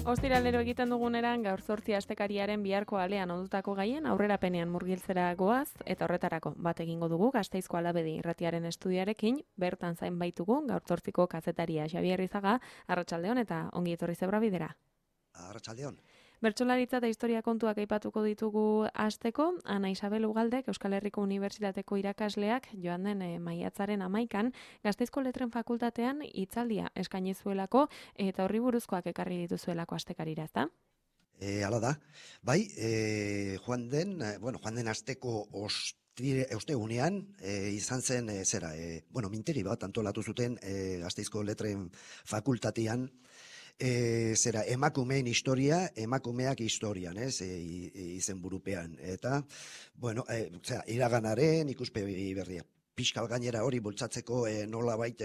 Ostiralero egiten duguneran gaur 8 astekariaren biharko alean ondutako gaien aurrerapenean murgiltzera goaz eta horretarako bat egingo dugu Gasteizko Alabedi irratiaren estudiarekin, bertan zain baitugu gaur 8ko kazetaria Xabier Izaga, arratsaldeon eta ongi etorri zebra bidera. Arratsaldeon. Bertsolaritza eta historia kontuak aipatuko ditugu hasteko, Ana Isabel Ugaldek Euskal Herriko Unibertsitateko irakasleak joan den maiatzaren 11an Gasteizko Letren Fakultatean hitzaldia eskaini zuelako eta horri buruzkoak ekarri dituzuelako astekarira, ezta? Hala da. Bai, joan den asteko ostegunean izan zen minteri bat antolatu zuten Gasteizko Letren Fakultatean emakumeen historia, emakumeak historian, izen burupean. Eta, iraganaren ikuspegi berria. Piskal gainera hori bultzatzeko nolabait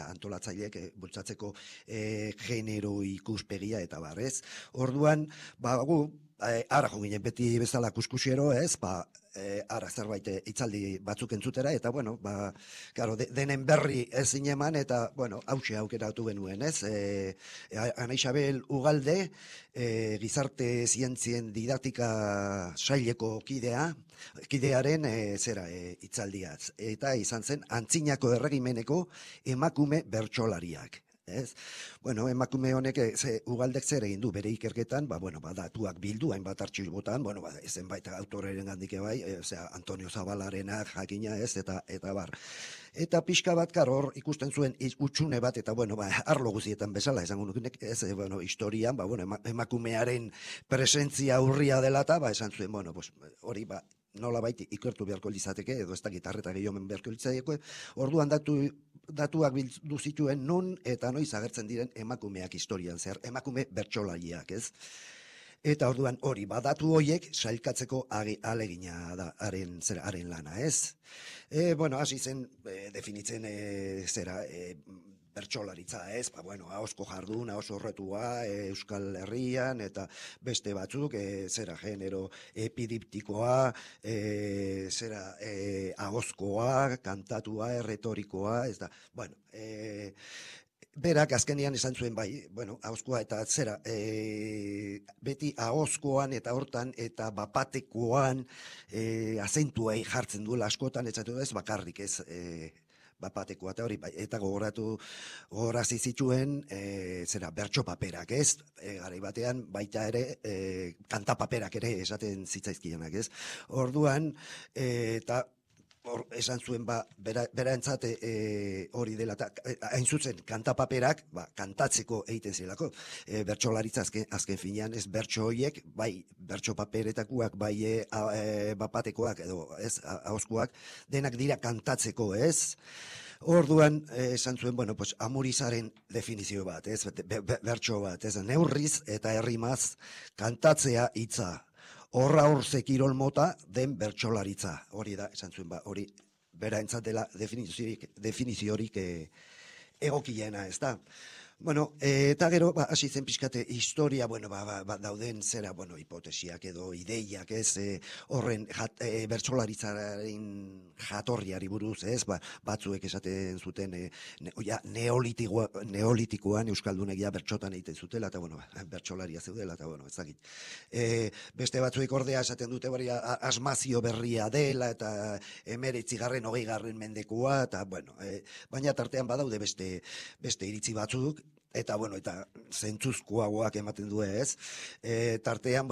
antolatzaileek bultzatzeko genero ikuspegia eta barrez. Orduan, gu, ara jo ginen beti bezala kuskusiero, ara zerbait hitzaldi batzuk entzutera, eta denen berri ez zineman, eta hause aukeratu genuen, Ana Isabel Ugalde, gizarte zientzien didaktika saileko kidearen hitzaldiaz, eta izan zen antzinako erregimeneko emakume bertsolariak. Emakume honek Ugaldek zer egin du bere ikerketan, datuak bildu, hainbat artxibotan, zenbait autoreren gandike bai, Antonio Zabalarenak jakina eta bar. Eta pixka bat hor ikusten zuen utxune bat, eta arlo guzietan bezala, esango nukenek, historian, emakumearen presentzia urria dela, eta esan zuen, hori nolabait ikertu beharko litzateke, edo ez da gitarreta gehiomen beharko litzateke, orduan datuak bildu zituen nun eta noiz agertzen diren emakumeak historian zer, emakume bertsolariak, ez? Eta orduan hori, datu horiek sailkatzeko alegina da haren lana, ez? Hasi zen definitzen bertsolaritza, ez? Ahozko jardun, ahoz horretua, Euskal Herrian, eta beste batzuk, genero epidiptikoa, ahozkoa, kantatua, erretorikoa, ez da, berak azkenean esan zuen ahozkoa eta beti ahozkoan eta hortan eta bapatekoan azentuei jartzen duela askotan, ez bakarrik, ez bapatekoa eta hori, eta gogorazi zituen bertso paperak, ez? Garai batean baita ere kanta paperak ere esaten zitzaizkienak, ez? Orduan, eta esan zuen beraentzat hori dela, hain zuzen kanta paperak kantatzeko egiten zirelako, bertsolaritza azken finean, ez bertso horiek, bai bertso paperetakoak, bai bapatekoak edo ez ahozkoak, denak dira kantatzeko, ez? Orduan, esan zuen, amurizaren definizio bat, ez? Bertso bat, ez? Neurriz eta errimaz kantatzea hitza. Horra kirol mota den bertsolaritza. Hori da, esan zuen, hori beraentzat dela definiziorik egokiena, ez da. Eta gero, hasi zen pixkate historia, dauden hipotesiak edo ideiak, ez, horren bertsolaritzaren jatorriari buruz, ez, batzuek esaten zuten neolitikoan Euskaldunek bertsotan egiten zutela, eta bertsolaria zeudela, eta ezagit. Beste batzuek ordea esaten dute asmazio berria dela, eta 19. mendekoa, eta baina tartean badaude beste iritzi batzuk, eta zentzuzkoagoak ematen du, ez? Tartean,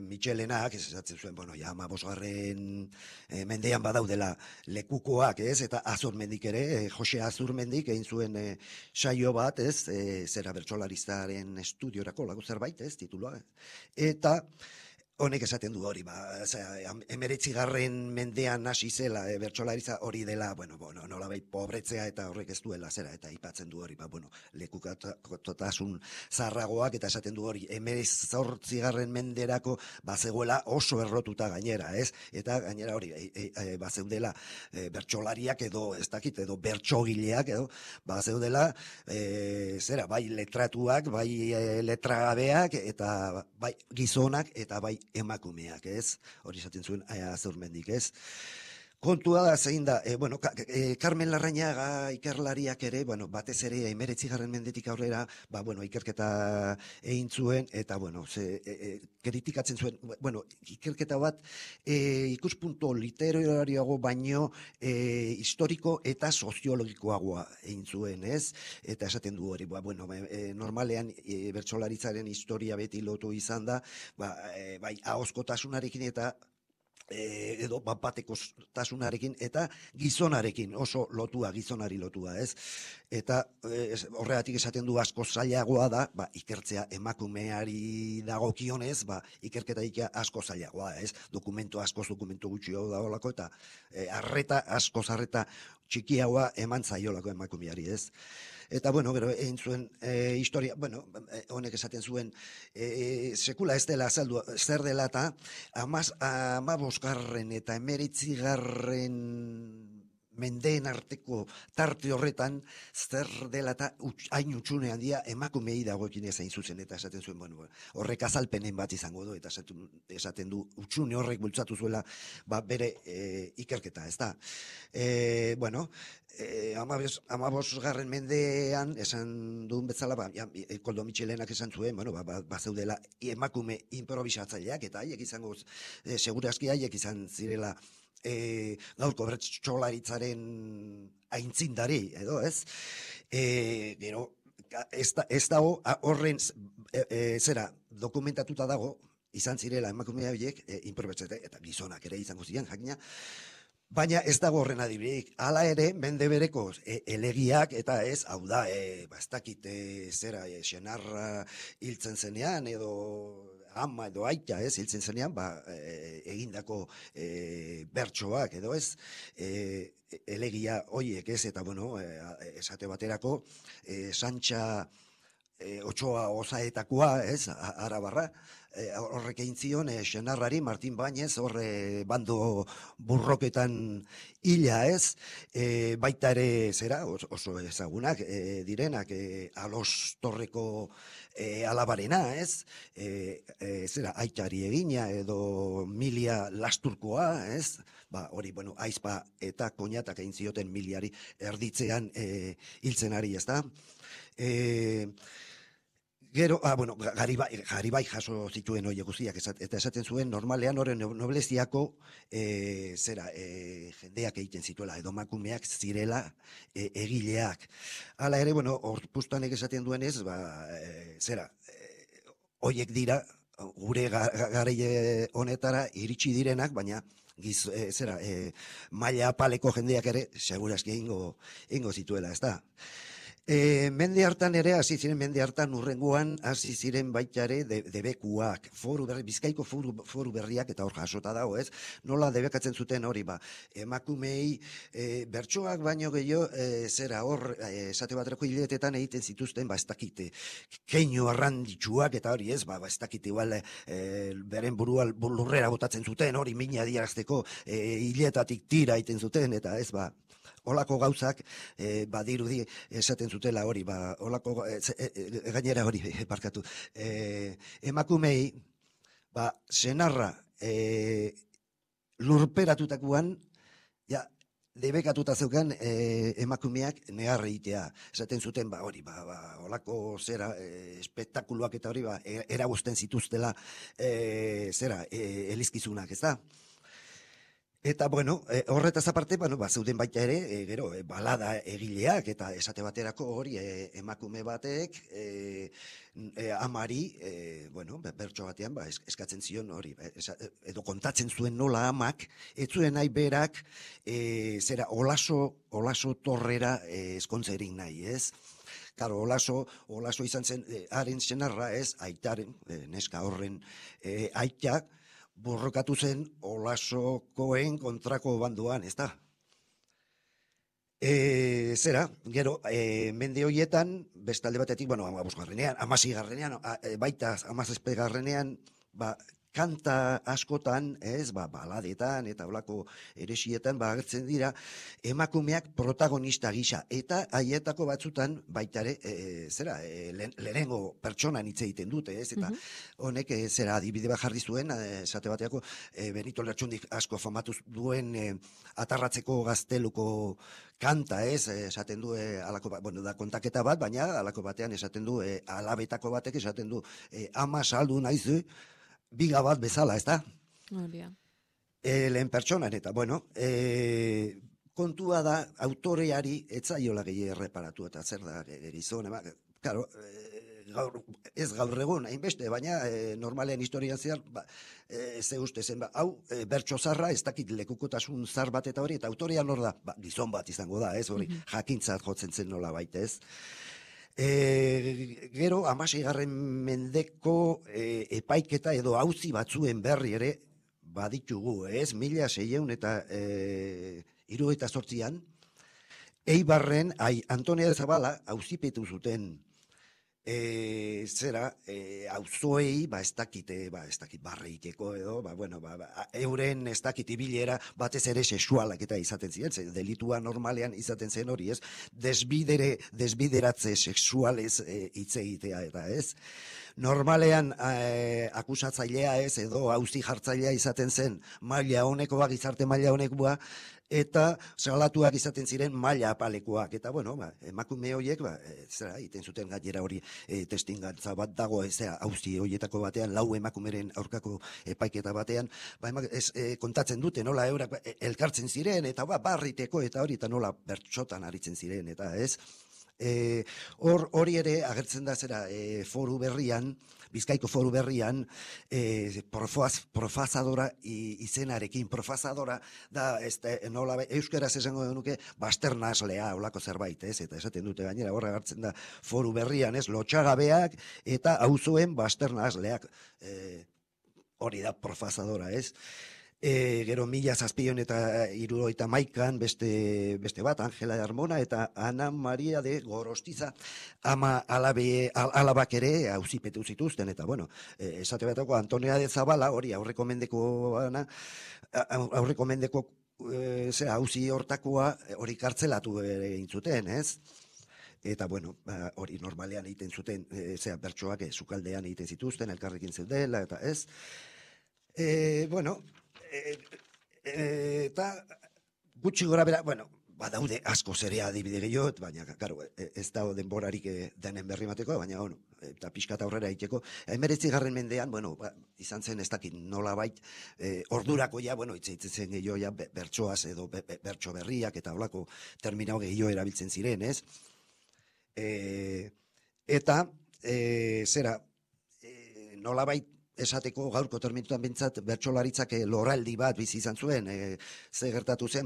Michelenak, esatzen zuen, 15. Mendean badaudela lekukoak, ez? Eta Azurmendik ere, Jose Azurmendik egin zuen saio bat, ez? Bertsolarizaren estudiorako lagu zerbait, ez? Titulua. Eta honek esaten du hori, 19. mendean hasi zela bertsolaritza hori dela, nolabait pobretzea eta horrek ez duela eta aipatzen du hori, lekukotasun zaharragoak, eta esaten du hori 19. menderako bazegoela oso errotuta gainera, ez? Eta gainera hori bazeudela bertsolariak edo ez dakit, edo bertsogileak edo bazeudela bai letratuak, bai letragabeak, eta bai gizonak eta bai emakumeak, ez? Hori esaten zuen Azurmendik, ez? kontua da zein da, bueno, Carmen Larrañaga ikerlariak ere, bueno, batez ere 19. mendetik aurrera, bueno, ikerketa egin zuen, eta, bueno, kritikatzen zuen, bueno, ikerketa bat ikuspuntu literarioago baino historiko eta soziologikoagoa egin zuen, ez? Eta esaten du hori, bueno, normalean bertsolaritzaren historia beti lotu izan da, bai, ahozkotasunarekin eta edo batekotasunarekin eta gizonarekin, oso lotua, gizonari lotua, ez? Eta horregatik esaten du asko zailagoa da, ikertzea emakumeari dagokionez, ikerketa asko zailagoa, ez? Dokumentu gutxiago da holako, eta arreta txikiagoa eman zaiolako emakumeari, ez? Eta, bueno, gero, egin zuen historia, bueno, honek esaten zuen, sekula ez dela azaldu, zer dela eta 15. eta 19. mendeen arteko tarte horretan, zer dela eta hain utxune handia emakumei dagoekin ezain zuzen, eta esaten zuen, bueno, horrek azalpenen bat izango du, eta esaten du, utxune horrek bultzatu zuela, bere ikerketa, ez da. Bueno, 15. mendean, esan duen betzala, Koldo Mitxelenak esan zuen, bueno, bazeudela emakume improvisatzaileak, eta haiek izango, segurazki haiek izan zirela, gaurko bertsolaritzaren aintzindari, edo, ez? Gero, ez dago, horren, dokumentatuta dago, izan zirela emakumea horiek, improvisatzaileak, eta gizonak ere izango ziren, jakina, baina ez dago horren adibirik. Hala ere, mende bereko elegiak, eta ez, hau da, ez dakit, senarra hiltzen zenean, edo ama edo aita, ez, hiltzen zenean, egindako bertsoak, edo ez, elegia hoiek, ez, eta, bueno, esate baterako, Santxa Otsoa Ozaetakoa, ez, Arabarra, horrek egin zion, senarrari Martin Bañez, horre bando burroketan hila, ez, baita ere zera, oso ezagunak direnak, Alos Torreko alabarena, ez, zera, aitari egina, edo Milia Lasturkoa, ez, hori, bueno, aizpa eta koñatak egin zioten Miliari erditzean hiltzen ari, ez da. Gero, bueno, Garibai jaso zituen hori guztiak, eta esaten zuen, normalean horren nobleziako jendeak egiten zituela, edo makumeak zirela egileak. Hala ere, bueno, Orpuztanek esaten duenez, horiek dira, gure garaile honetara iritsi direnak, baina maila apaleko jendeak ere, segurazki egingo zituela, ez da. Mende hartan ere, mende hartan urrengoan, hasi ziren baita ere debekuak, Bizkaiko foru berriak, eta hor jasota dago, ez? Nola debekatzen zuten hori, emakumei bertsoak baino gehiago, hor, esate baterako hiletetan egiten zituzten, ez dakite, keinu arranditsuak, eta hori, ez? Ez dakite, igual, beren burua lurrera botatzen zuten, hori mina diarazteko hiletatik tira egiten zuten, eta ez, olako gauzak, badirudi esaten zutela hori, olako, gainera hori, parkatu, emakumei, senarra lurperatutakoan, debekatuta zeukan emakumeak negar egitea. Esaten zuten, hori, olako zera, espektakuluak eta hori, eragusten zituztela, elizkizunak, ez da? Eta, bueno, horretaz aparte, zeuden baita ere, gero, balada egileak, eta esate baterako hori emakume batek, amari, bueno, bertso batean, eskatzen zion hori, edo kontatzen zuen nola amak, ez zuen nahi berak, olaso torrera eskontzerik nahi, ez? Karo, olaso izan zen, haren senarra, ez, aitaren, neska horren aitak, borrokatu zen Olasokoen kontrako banduan, ez da? Gero, mende horietan, bestalde batetik, bueno, 15. 16. baita 17. kanta askotan, ez, baladetan eta olako eresietan, agertzen dira emakumeak protagonista gisa, eta haietako batzutan baita ere, lehenengo pertsonan hitz egiten dute, ez, eta honek, adibide bat jarri zuen, esate bateako, Benito Lertxundik asko famatu duen atarratzeko gazteluko kanta, ez, esaten du, da kontaketa bat, baina alako batean esaten du, alabetako batek esaten du, ama saldu naizu, biga bat bezala, ez da? Lehen pertsonan, eta, kontua da, autoreari etzaiola gehi erreparatu, eta zer da, gizon, karo, ez gaur egun, hainbeste, baina normalean historian zehar, ze uste zen, hau, bertso zarra, ez dakit lekukotasun zar bat eta hori, eta autorean hor da, gizon bat izango da, ez hori, jakintzat jotzen zen nola baita, ez? Gero, 16. mendeko epaiketa edo auzi batzuen berri ere baditugu, ez? 1678an, Eibarren, Antonia de Zabala auzipetu zuten auzoei, ez dakit barreiteko edo, euren ez dakit ibilera batez ere sexualak eta izaten ziren, delitua normalean izaten zen hori, ez? Desbideratze sexualez hitz egitea eta, ez? Normalean akusatzailea ez, edo auzi jartzailea izaten zen maila honekoa, gizarte maila honekoa, eta salatuak izaten ziren maila apalekoak, eta emakume horiek, egiten zuten gainera hori testingantza bat dago, auzi horietako batean, lau emakumeren aurkako epaiketa batean, kontatzen dute, nola eurak elkartzen ziren, eta barriteko, eta hori, eta nola bertxotan aritzen ziren, eta ez? Hori ere agertzen da foru berrian, Bizkaiko foru berrian, profazadora izenarekin, profazadora da, nola, euskaraz esango denuke, basternaslea, olako zerbait, ez? Eta esaten dute gainera, horra agertzen da foru berrian, ez? Lotxagabeak eta auzoen basternasleak, hori da profazadora, ez? Gero 1771an beste bat, Angela de Armona eta Ana Maria de Gorostiza alabak ere auzipetu zituzten, eta esate batako Antonia de Zabala, hori aurreko mendeko auzi hortakoa hori kartzelatu egin zuten, ez? Eta, hori normalean egiten zuten, bertsoak sukaldean egiten zituzten, elkarrekin zeudela, eta ez? Eta gutxi gora bera, badaude asko zerea adibide gehiago, baina, karo, ez da denborarik denen berri mateko, baina, eta pixkat aurrera egiteko. 19. mendean, izan zen ez dakit nola bait, ordurako hitz zen gehiago, bertsoaz edo bertso berriak, eta holako terminau gehiago erabiltzen ziren, ez? Eta, nola bait, esateko gaurko termituan bintzat bertsolaritzak loraldi bat bizi izan zuen, ze gertatu zen,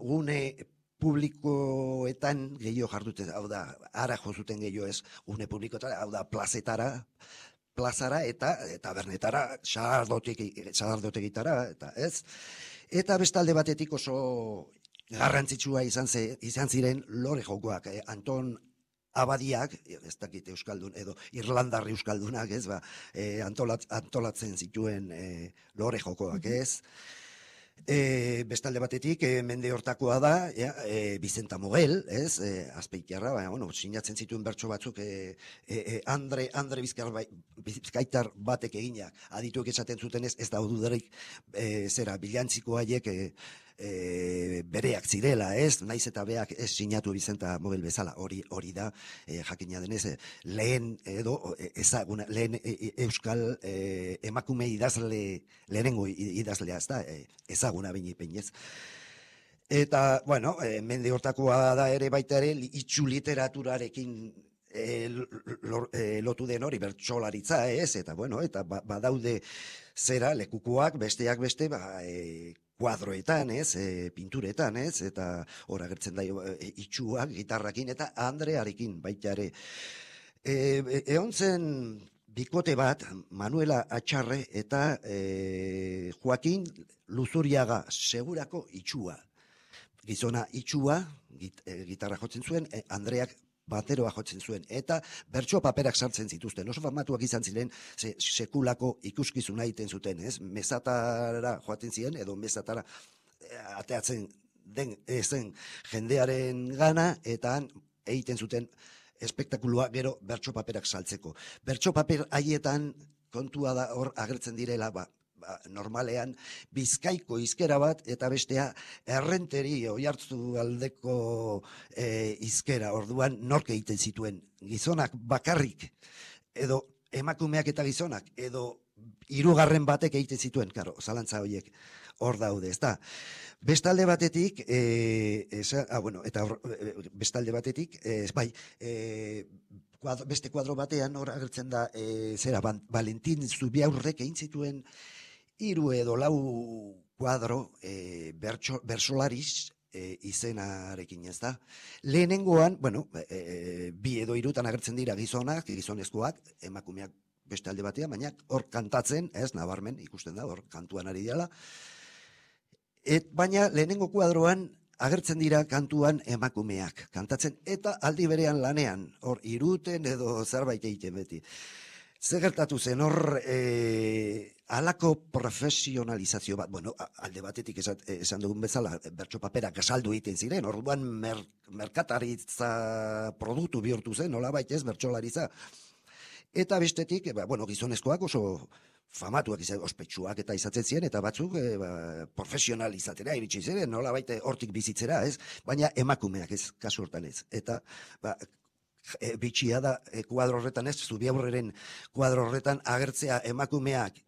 gune publikoetan gehiago jardute, hau da, ara jozuten gehiago ez, gune publikoetara, hau da, plazara eta tabernetara, sagardotegitara, eta ez. Eta bestalde batetik oso garrantzitsua izan ziren lore jokoak, Anton Abadiak, ez dakit euskaldun, edo Irlandarri euskaldunak, ez, antolatzen zituen lore jokoak, ez. Bestalde batetik, mende hortakoa da, Vicenta Mogel, ez, Azpeitiarra, sinatzen zituen bertso batzuk, Andre Bizkaitar batek eginak, adituek esaten zuten ez da dudarik, bilantziko haiek, bereak zirela, ez, naiz eta beak ez sinatu Vicenta Mogel bezala, hori da, jakina denez, lehen euskal emakume idazle, lehenengo idazlea, ez da, ezaguna binipen, ez. Eta, mende hortakoa da ere baita ere, itxu literaturarekin lotu den hori bertsolaritza, ez, eta, eta badaude lekukoak, besteak beste, kuadroetan, ez, pinturetan, ez, eta hor agertzen da itxuak, gitarrakin, eta Andrearekin baita ere. Egon zen bikote bat, Manuela Atxarre eta Joaquin Luzuriaga, segurako itxua. Gizona itxua, gitarra jotzen zuen, Andreak bateroa jotzen zuen, eta bertso paperak sartzen zituzten, oso famatuak izan ziren, sekulako ikuskizuna egiten zuten, ez? Mezatara joaten ziren, edo mezatara ateatzen den zen jendearen gana, eta han egiten zuten espektakulua gero bertso paperak saltzeko. Bertso paper haietan kontua da hor agertzen direla, normalean Bizkaiko hizkera bat eta bestea Errenteri Oiartzu aldeko hizkera. Orduan nork egiten zituen, gizonak bakarrik edo emakumeak eta gizonak edo hirugarren batek egiten zituen, karo, zalantza horiek hor daude, ezta. Bestalde batetik, bestalde batetik, beste kuadro batean hor agertzen da, Valentin Zubiaurrek egin zituen 3 edo 4 kuadro bersolariz izenarekin, ez da. Lehenengoan, 2 edo 3 agertzen dira gizonak, gizonezkoak, emakumeak beste alde batean, baina hor kantatzen, ez, nabarmen, ikusten da, hor kantuan ari dela. Baina lehenengo kuadroan agertzen dira kantuan emakumeak, kantatzen, eta aldi berean lanean, hor iruten edo zerbait egiten beti. Zer gertatu zen, hor halako profesionalizazio bat, alde batetik esan dugun bezala, bertso paperak saldu egiten ziren, orduan merkataritza produktu bihurtu zen, nolabait ez, bertsolaritza. Eta bestetik, gizonezkoak oso famatuak izan, ospetsuak eta izatzen ziren, eta batzuk profesionalizatera iritsi ziren, nolabait hortik bizitzera, ez? Baina emakumeak ez, kasu hortan ez. Eta bitxia da kuadro horretan ez, Zubiaurreren kuadro horretan agertzea emakumeak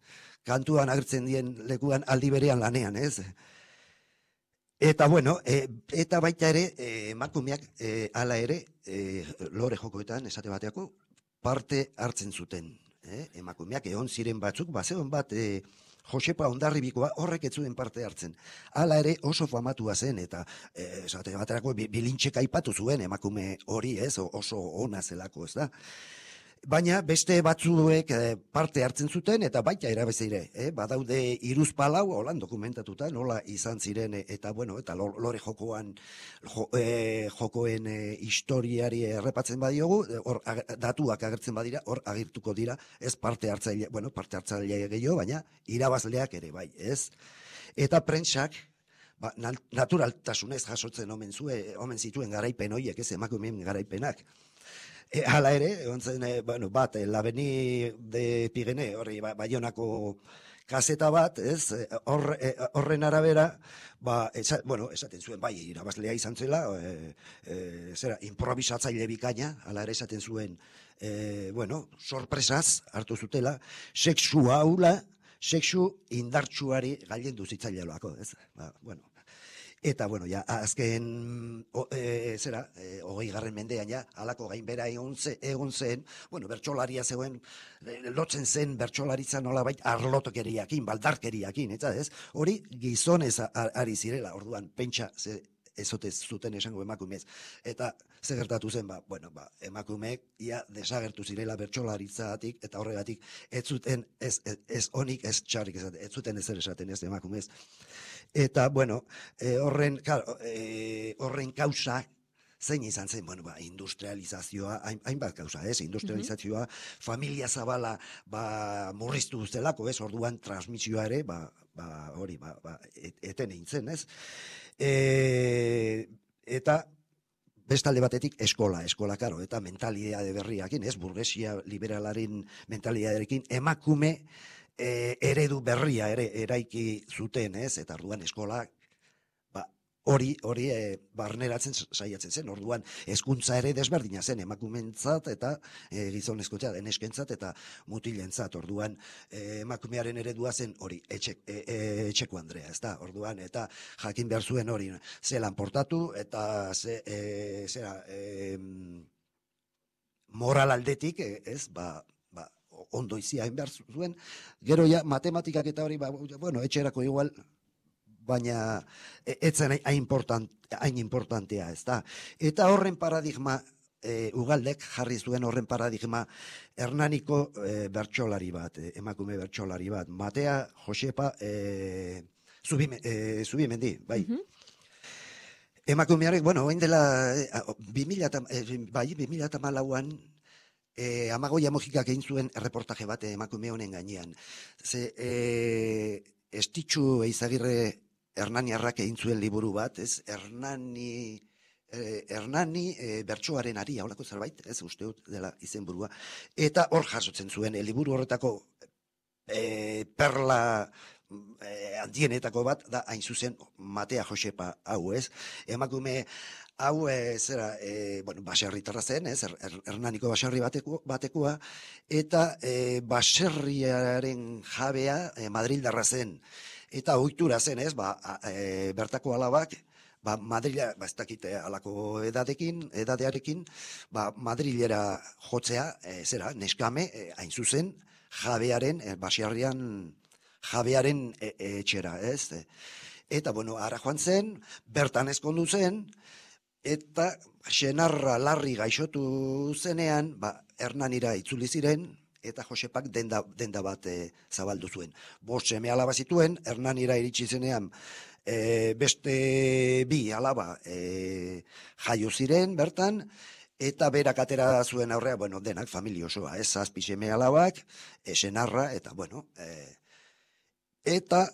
kantuan agertzen dien lekuan aldi berean lanean, ez? Eta eta baita ere emakumeak hala ere lore jokoetan esate bateako parte hartzen zuten. Emakumeak egon ziren batzuk, bazeon bat Josepa Hondarribikoa horrek ez zuen parte hartzen. Hala ere oso famatua zen, eta esate baterako bilintxek aipatu zuen emakume hori, ez, oso ona zelako, ez da. Baina beste batzuek parte hartzen zuten, eta baita erabezire, badaude 3-4 holan dokumentatuta, nola izan ziren, eta eta lore jokoen historiari errepatzen badiogu, hor datuak agertzen badira, hor agirtuko dira, ez parte hartzaile gehiago, baina irabazleak ere bai, ez? Eta prentsak, naturaltasunez jasotzen omen zituen garaipen horiek, ez, emakumeen garaipenak. Hala ere, ontzen, L'Avenir de Pirene, horri, Baionako kaseta bat, ez, horren arabera, esaten zuen, bai, irabazlea izan zela, improvisatzaile bikaina, hala ere esaten zuen, sorpresaz hartu zutela, sexu haula, sexu indartsuari gailendu zitzaileloako, ez, Eta, azken, 20. mendean, halako gainbera egon zen, bertsolaria zegoen, lotzen zen bertsolaritza nolabait arlotokeriakin, baldarkeriakin, eta ez? Hori gizonez ari zirela, orduan, pentsa, ezotez zuten esango emakumez. Eta ze gertatu zen, emakumeek ia desagertu zirela bertsolaritzatik, eta horregatik ez zuten ez onik, ez txarrik esaten, ez zuten ezer esaten ez emakumez. Eta, horren kausa zein izan zen, industrializazioa, hainbat kausa, ez? Industrializazioa, familia zabala murriztu zelako, ez? Orduan transmisioa ere, eten egin zen, ez? Eta bestalde batetik eskola, karo, eta mentalidade berriakin, ez? Burgesia liberalaren mentalidaderekin, emakume eredu berria ere eraiki zuten, ez? Eta orduan eskolak hori barneratzen saiatzen zen, orduan hezkuntza ere desberdina zen emakumentzat eta gizonezkotzat, neskentzat eta mutilentzat, orduan emakumearen eredua zen hori etxeko andrea, ez da, orduan, eta jakin behar zuen hori zelan portatu, eta moral aldetik, ez, ondo iziain behar zuen, gero ja matematikak eta hori, etxerako igual, baina etzen hain importantea, ez da. Eta horren paradigma, Ugaldek jarri zuen horren paradigma, Hernaniko bertsolari bat, emakume bertsolari bat, Matea Josepa Zubimendi, bai. Emakumearek, bueno, orain dela 2014an Amagoia Mojikak egin zuen erreportaje bat emakume honen gainean. Ze Estitxu Eizagirre Hernaniarrak egin zuen liburu bat, ez? Hernani bertsoaren aria, holako zerbait, ez uste dut dela izenburua. Eta hor jasotzen zuen, liburu horretako perla handienetako bat da hain zuzen Matea Josepa hau, ez? Emakume hau bueno, baserritarra zen, ez? Hernaniko baserri batekoa, eta baserriaren jabea Madrildarra zen. Eta ohitura zen, ez? Bertako alabak Madrila, ez dakite alako edadearekin, Madrilera jotzea, neskame, hain zuzen, jabearen, baserrian jabearen etxera, ez? Eta, bueno, ara joan zen, bertan ezkondu zen, eta senarra larri gaixotu zenean, Hernanira itzuli ziren, eta Josepak denda bat zabaldu zuen. 5 seme alaba zituen, Hernanira iritsi zenean, beste 2 alaba jaio ziren bertan, eta berak atera zuen aurrea, bueno, denak familia osoa, 7 seme alabak, senarra, eta, bueno, eta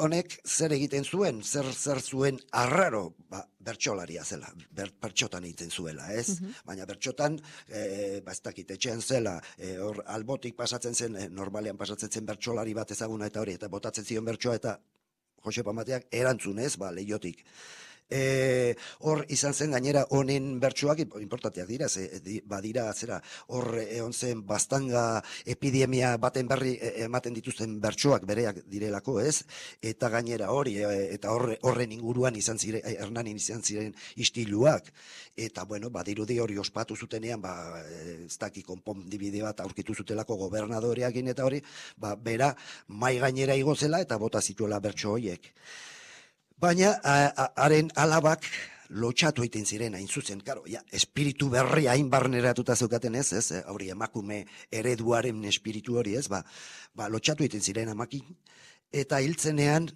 honek zer egiten zuen, zer zuen arraro, bertsolaria zela, bertxotan egiten zuela, ez? Baina bertxotan, ez dakit, etxean zela, hor albotik pasatzen zen, normalean pasatzen zen bertsolari bat ezaguna eta hori, eta botatzen zion bertsoa, eta Josepa Mateak erantzun, ez, lehiotik. Hor izan zen gainera honen bertsoak importanteak dira, badira zera hor egon zen baztanga epidemia baten berri ematen dituzten bertsoak bereak direlako, ez? Eta gainera hori eta horren inguruan Hernanin izan ziren istiluak, eta bueno, badirudi hori ospatu zutenean, ez daki konpondibide bat aurkitu zutelako gobernadoreakin eta hori, bera mai gainera igo zela eta bota zituela bertso horiek. Baina, haren alabak lotxatu egiten ziren hain zuzen, karo, espiritu berria hain barneratuta zeukaten ez, hori emakume ereduaren espiritu hori ez, lotxatu egiten ziren amakin, eta hiltzenean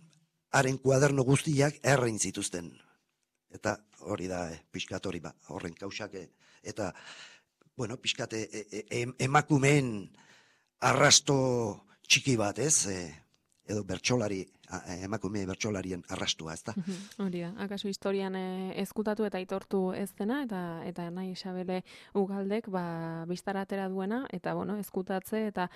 haren kuaderno guztiak errein zituzten. Eta hori da, pixkat hori, horren kausak, eta, bueno, pixkat emakumeen arrasto txiki bat ez, edo bertsolari, emakume bertsolarien arrastua, ez da? Hori da, akaso historian ezkutatu eta aitortu ez dena, eta nahi Isabele Ugaldek biztara atera duena, eta bueno, ezkutatze eta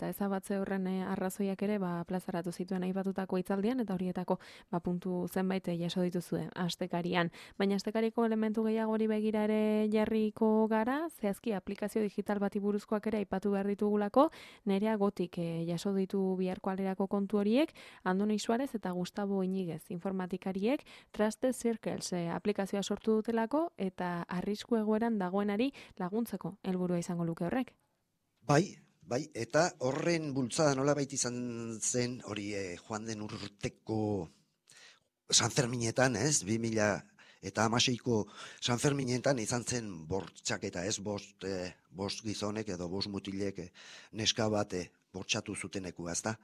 ezabatze horren arrazoiak ere plazaratu zituen aipatutako hitzaldian, eta horietako puntu zenbait jaso dituzue astekarian. Baina astekariko elementu gehiagori begira ere jarriko gara, zehazki aplikazio digital bati buruzkoak ere aipatu behar ditugulako, Nerea Gotik jaso ditu biharko alerako kontu horiek, Andoni Suarez eta Gustavo Iñiguez informatikariek Trusted Circles aplikazioa sortu dutelako eta arrisku egoeran dagoenari laguntzeko helburua izango luke horrek. Bai, eta horren bultzada nolabait izan zen hori joan den urteko San Ferminetan, ez? 2016ko San Ferminetan izan zen bortxaketa, ez? 5 gizonek edo 5 mutilek neska bat bortxatu zutenekua, ez da?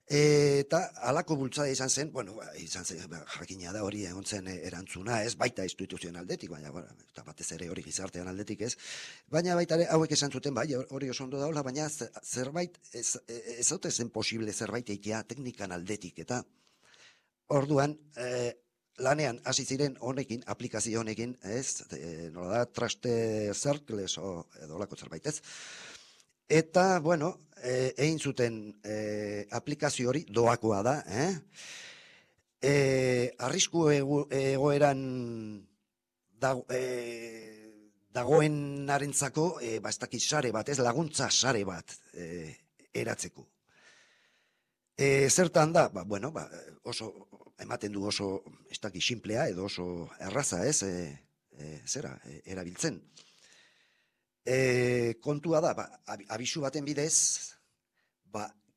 Eta halako bultzada izan zen, bueno, jakina da hori egon zen erantzuna, ez baita instituzioen aldetik, baina eta batez ere hori gizartean aldetik, ez. Baina baita ere hauek esan zuten, bai, hori oso ondo daula, baina zerbait, ez ote zen posible zerbait eitea teknikan aldetik, eta orduan, lanean hasi ziren honekin, aplikazio honekin, ez, nola da, Trusted Circles edo lako zerbait, ez. Eta, bueno, egin zuten aplikazio hori doakoa da, arrisku egoeran dagoenarentzako ez dakit sare bat, ez laguntza sare bat eratzeko. Zertan da, bueno, oso ematen du oso ez dakit simplea edo oso erraza, ez, erabiltzen. Kontua da, abisu baten bidez,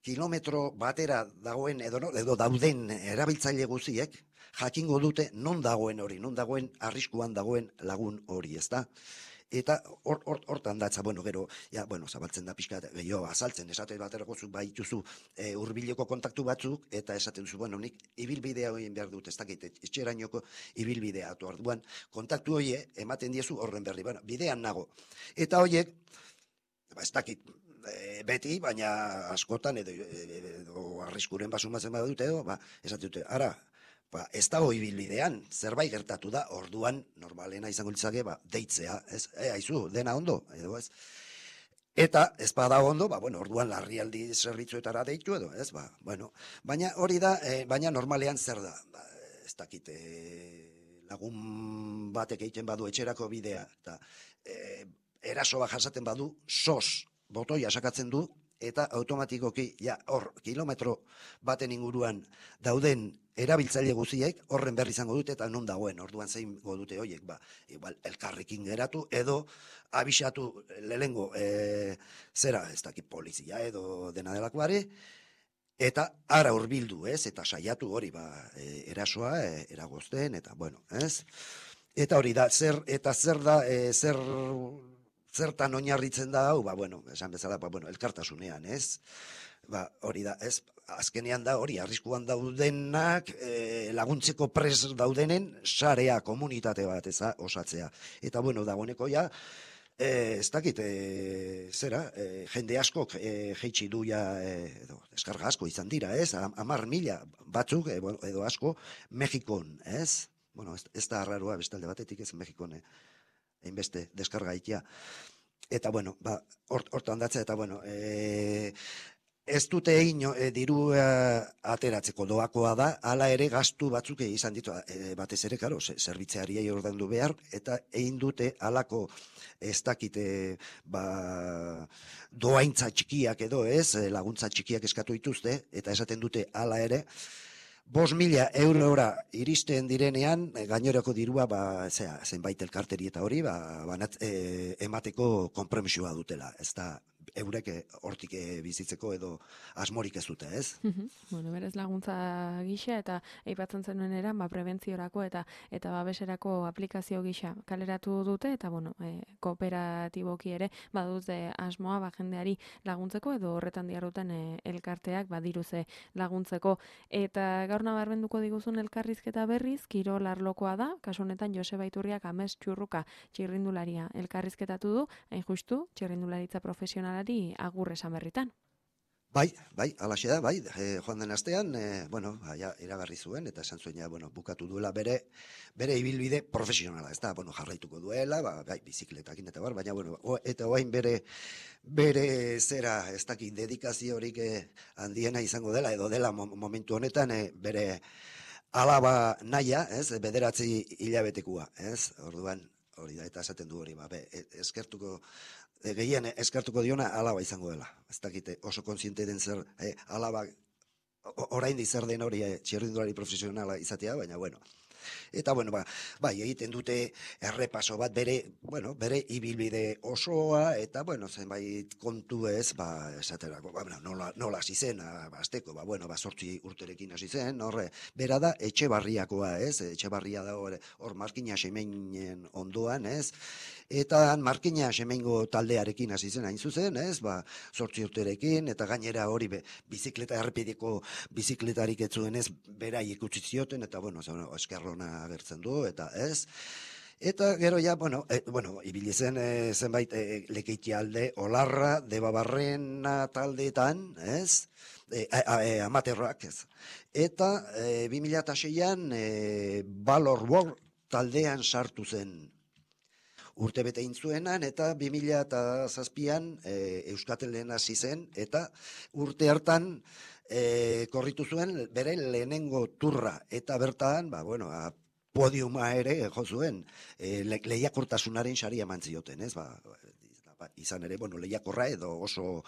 kilometro batera dagoen edo dauden erabiltzaile guziek jakingo dute non dagoen hori, non dagoen arriskuan dagoen lagun hori, ez da? Eta hortan datza, bueno, gero, ja, bueno, zabaltzen da pixka, gehiago azaltzen, esate baterako zuk baituzu hurbileko kontaktu batzuk, eta esaten duzu, bueno, nik ibilbidea egin behar dut, ez dakit, etxerainoko ibilbidea atu arduan, kontaktu hoie ematen diezu horren berri, bueno, bidean nago. Eta hoiek, ez dakit, beti, baina askotan, edo arriskuren basumatzen badute, edo, esaten dute, ara, ez dago ibilbidean, zerbait gertatu da, orduan, normalena izango litzake, deitzea, ez, aizu, dena ondo, edo ez. Eta, ez bada ondo, bueno, orduan larrialdi zerbitzuetara deitu edo, ez, bueno. Baina hori da, baina normalean zer da, ez dakit, lagun batek egiten badu etxerako bidea, eta eraso bat jasaten badu, sos, botoia sakatzen du, eta automatikoki, ja, hor, kilometro baten inguruan dauden erabiltzaile guziek horren berri izango dute eta non dagoen, orduan zein dute horiek, igual, elkarrekin geratu, edo abisatu lehengo, zera, ez dakit polizia edo dena delakoare, eta ara hurbildu, ez, eta saiatu hori, erasoa, eragozten, eta bueno, ez, eta hori da, zer da, zertan oinarritzen da hau, bueno, esan bezala, bueno, elkartasunean, ez? Hori da, ez? Azkenean da, hori, arriskuan daudenak, laguntzeko pres daudenen, sarea, komunitate bat, osatzea. Eta, bueno, dagoeneko ja, ez dakit, zera, jende askok jeitsi du ja, deskarga asko izan dira, ez? 10.000 batzuk, edo asko, Mexikon, ez? Bueno, ez da arraroa, bestalde batetik ez Mexikon, hainbeste deskarga ikia. Eta, bueno, hortan datzea, eta, bueno, ez dute diru ateratzeko doakoa da, hala ere gastu batzuk izan ditu, batez ere, karo, zerbitzeariei ordaindu behar, eta egin dute halako ez dakite, doaintza txikiak edo ez, laguntza txikiak eskatu dituzte, eta esaten dute hala ere, 5.000 eurora iristen direnean, gainerako dirua, zenbait elkarteri eta hori, emateko konpromisoa dutela. Ez da, eurek hortik bizitzeko edo asmorik ez dute, ez? Bueno, berez laguntza gisa eta aipatzen zenuen eran, prebentziorako eta babeserako aplikazio gisa kaleratu dute, eta, bueno, kooperatiboki ere, badute asmoa, jendeari laguntzeko, edo horretan diarruten elkarteak, diruze laguntzeko. Eta gaur nabarmenduko diguzun elkarrizketa berriz, kirol arlokoa da, kasu honetan Joseba Iturriak Ames Txurruka txirrindularia elkarrizketatu du, hain justu, txirrindularitza profesionalari agur esan berritan. Bai, alaxe da, joan den astean, iragarri zuen, eta esan zuen, bukatu duela bere ibilbide profesionala, ez da, jarraituko duela, bizikletakin eta baina, eta oain bere zera, ez dakit, dedikaziorik handiena izango dela, edo dela momentu honetan, bere alaba naia, ez, 9 hilabetekua, ez, orduan, hori da, eta esaten du hori, eskertuko, gehien eskartuko diona alaba izango dela. Ez dakite oso kontziente den zer, alaba oraindik zer den hori txirrindulari profesionala izatea, baina bueno. Eta bueno, egiten dute errepaso bat bere ibilbide osoa, eta zenbait kontu ez, esaterako, nola hasi zen, azteko, 8 urterekin hasi zen, bera da Etxebarriakoa, ez, Etxebarria da hor Markina Xemeinen ondoan, ez, eta Markina Xemeingo taldearekin hasi zen hain zuzen, ez, 8 urterekin, eta gainera hori bizikleta errepideko bizikletarik ez zuen ez, beraiek utzi zioten, eta eskerrona agertzen du, eta ez. Eta gero ja, ibili zen zenbait Lekeitialde, Olarra, Debabarrena taldeetan, ez? Amaterrak, ez. Eta 2006an Valor World taldean sartu zen urtebete intzuenan, eta 2007an Euskatelen hasi zen, eta urte hartan korritu zuen bere lehenengo turra, eta bertan, podiuma ere jo zuen, lehiakortasunaren saria eman zioten, ez, izan ere, lehiakorra edo oso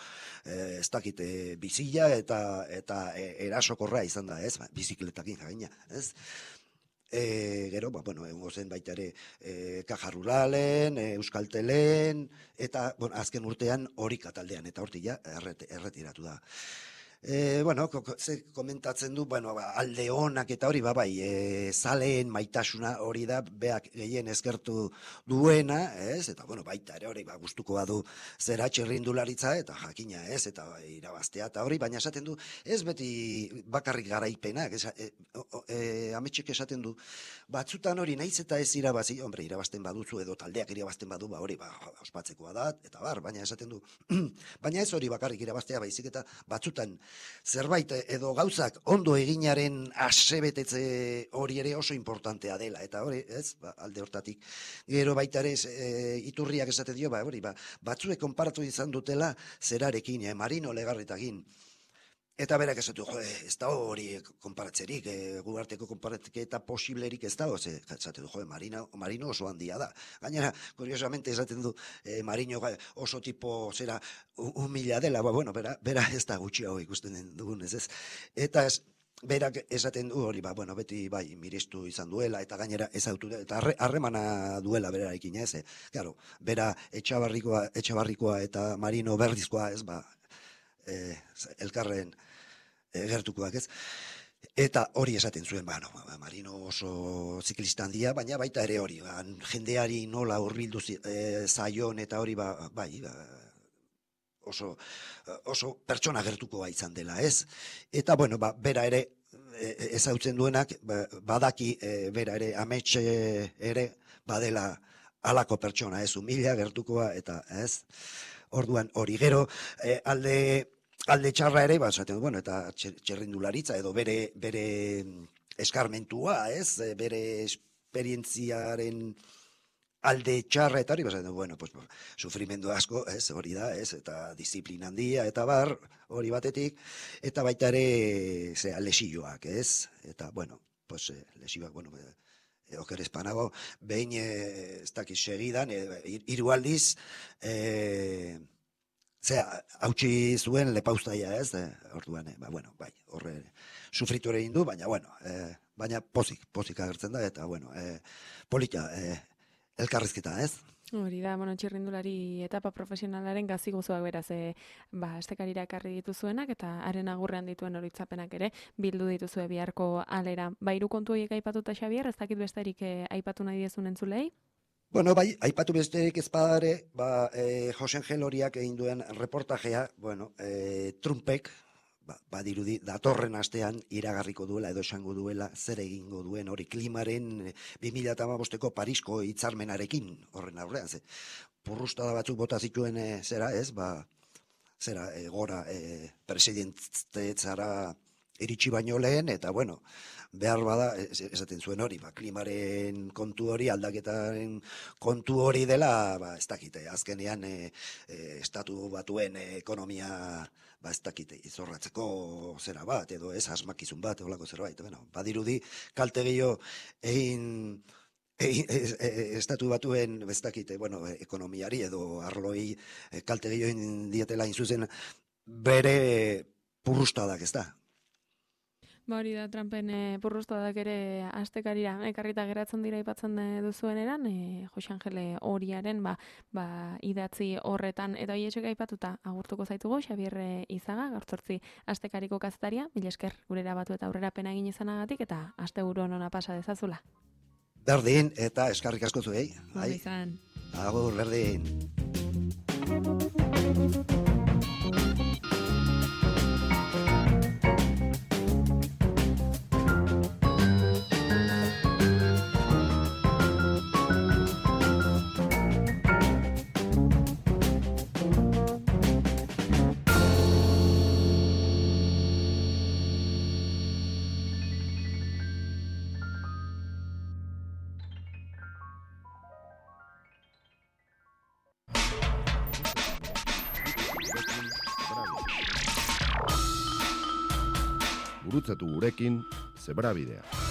ez dakit bizila eta erasokorra izan da, ez, bizikletakin jaina, ez. Gero, egongo zen baita ere Caja Ruralen, Euskaltelen, eta azken urtean Orika taldean, eta hortik ja erretiratu da. Bueno, ze komentatzen du, bueno, alde honak eta hori, bai, zaleen maitasuna hori da, beak gehien eskertu duena, ez? Eta, bueno, baita ere hori, gustuko badu zera txirrindularitza, eta jakina, ez? Eta irabaztea, eta hori, baina esaten du, ez beti bakarrik garaipenak, ametxek esaten du, batzutan hori naiz eta ez irabazi, hombre, irabazten baduzu edo taldeak irabazten badu, hori, ospatzekoa da, eta baina esaten du, baina ez hori bakarrik irabaztea, baizik eta batzutan zerbait edo gauzak ondo eginaren asebetetze hori ere oso importantea dela, eta hori, ez, alde hortatik. Gero baita ere, iturriak esaten dio, hori, batzuek konparatu izan dutela zerarekin, Marino Legarretakin. Eta berak esatu, ez da hori konparatzerik, guarteko konparatketa posiblerik ez da, esatu du, Marino oso handia da. Gainera, kuriosamente esaten du, Marino oso tipo zera humila dela, bueno, bera ez da gutxi hau ikusten dugun, ez. Eta berak esaten du hori, bueno, beti bai, mirestu izan duela, eta gainera ez autu, eta harremana duela berarekin, ez. Claro, bera etxabarrikoa eta Marino berdizkoa, ez, elkarren gertukoak, ez? Eta hori esaten zuen, Marino oso ziklista handia, baina baita ere hori, jendeari nola hurbildu zaion eta hori, oso pertsona gertukoa izan dela, ez? Eta, bueno, bera ere ezautzen duenak, badaki bera ere ametxe ere badela halako pertsona, ez? Humila gertukoa eta, ez? Orduan hori gero, alde txarra ere, bueno, eta txerrindularitza edo bere eskarmentua, ez? Bere esperientziaren alde txarra eta hori, bueno, sufrimendu asko, ez? Hori da, ez? Eta disiplina handia eta hori batetik, eta baita ere, lesioak, ez? Eta, bueno, lesioak, bueno, oker espanago, behin, ez dakiz segidan, 3 aldiz, hautsi zuen lepauztaia, ez? Orduan, bueno, bai, horre sufritu ere indu, baina, bueno, baina pozik agertzen da, eta, bueno, polita, elkarrizketa, ez? Hori da, bueno, txirrindulari etapa profesionalaren gazi gozoak beraz, estekarira ekarri dituzuenak, eta haren agurrean dituen oroitzapenak ere, bildu dituzue biharko alera. Hiru kontu horiek aipatuta, Xabier, ez dakit besterik aipatu nahi diezun entzulei? Bueno, bai, aipatu besterik ez badare, Jose Angel horiak egin duen reportajea, bueno, Trumpek, badirudi, datorren astean iragarriko duela edo esango duela zer egingo duen hori klimaren 2015ko Parisko hitzarmenarekin horren aurrean, purrustada batzuk bota zituen zera, ez, gora presidentetzara iritsi baino lehen, eta, bueno, behar bada, esaten zuen hori, klimaren kontu hori, aldaketaren kontu hori dela, ez dakite, azkenean estatu batuen ekonomia, ez dakite, izorratzeko zera bat, edo ez asmakizun bat, holako zerbait, bueno, badirudi, kalte gehiago egin estatu batuen, ez dakite, bueno, ekonomiari edo arloi kalte gehiago egin dietela inzuzen bere purrustadak, ez da? Hori da, Trumpen purrustadak ere astekarira ekarrita geratzen dira aipatzen duzuen eran, Jose Angele horiaren idatzi horretan, eta hietxek aipatuta agurtuko zaitugu, Xabier Izaga, gaur 8 astekariko kazetaria, mila esker gurera batu eta aurrera pena egin izanagatik, eta asteburu ona pasa dezazula. Berdin, eta eskarrik asko zuei. Bai, izan. Agur, berdin. Gurutzatu gurekin Zebrabidea.